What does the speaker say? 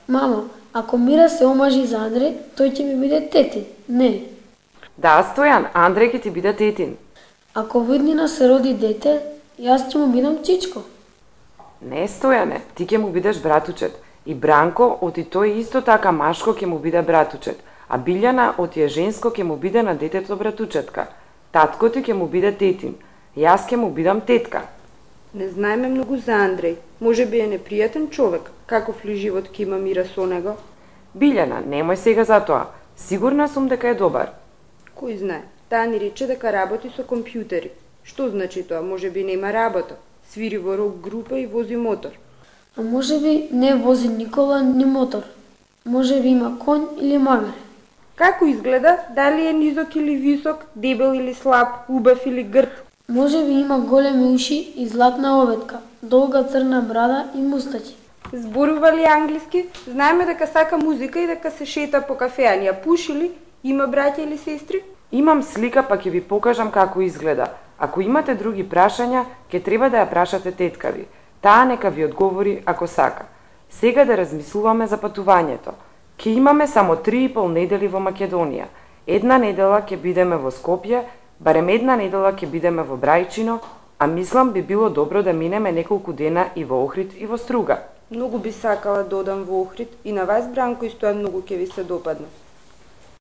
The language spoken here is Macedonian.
Мамо, ако Мира се омажи за Андреј, тој ќе ми биде тетин, нели? Да, Стојан, Андреј ќе ти биде тетин. Ако во иднина се роди дете, јас ќе му бидам чичко. Не, Стојане, ти ќе му бидеш братучет. И Бранко, оти тој исто така машко ќе му биде братучет, а Билјана, оти е женско ќе му биде на детето братучетка. Татко ти ќе му биде тетин, јас ќе му бидам тетка. Не знаеме многу за Андреј. Може би е непријатен човек. Каков ли живот ќе има Мира со него? Билјана, немој сега за тоа. Сигурна сум дека е добар. Кој знае? Таа ни рече дека работи со компјутери. Што значи тоа? Може би нема работа. Свири во рок група и вози мотор. А може би не вози никола ни мотор. Може би има конј или магаре. Како изгледа? Дали е низок или висок, дебел или слаб, убав или грд? Може би има големи уши и златна обетка, долга црна брада и мустачи. Зборува ли англиски? Знаеме дека сака музика и дека се шета по кафеанија. Пуши ли? Има браќа или сестри? Имам слика, па ќе ви покажам како изгледа. Ако имате други прашања, ќе треба да ја прашате тетка ви. Таа нека ви одговори ако сака. Сега да размислуваме за патувањето. Ќе имаме само 3,5 недели во Македонија. Една недела ќе бидеме во Скопје, барем една недела ќе бидеме во Брајчино, а мислам би било добро да минеме неколку дена и во Охрид и во Струга. Многу би сакала да одам во Охрид и на вас, Бранко, исто многу ќе ви се допадне.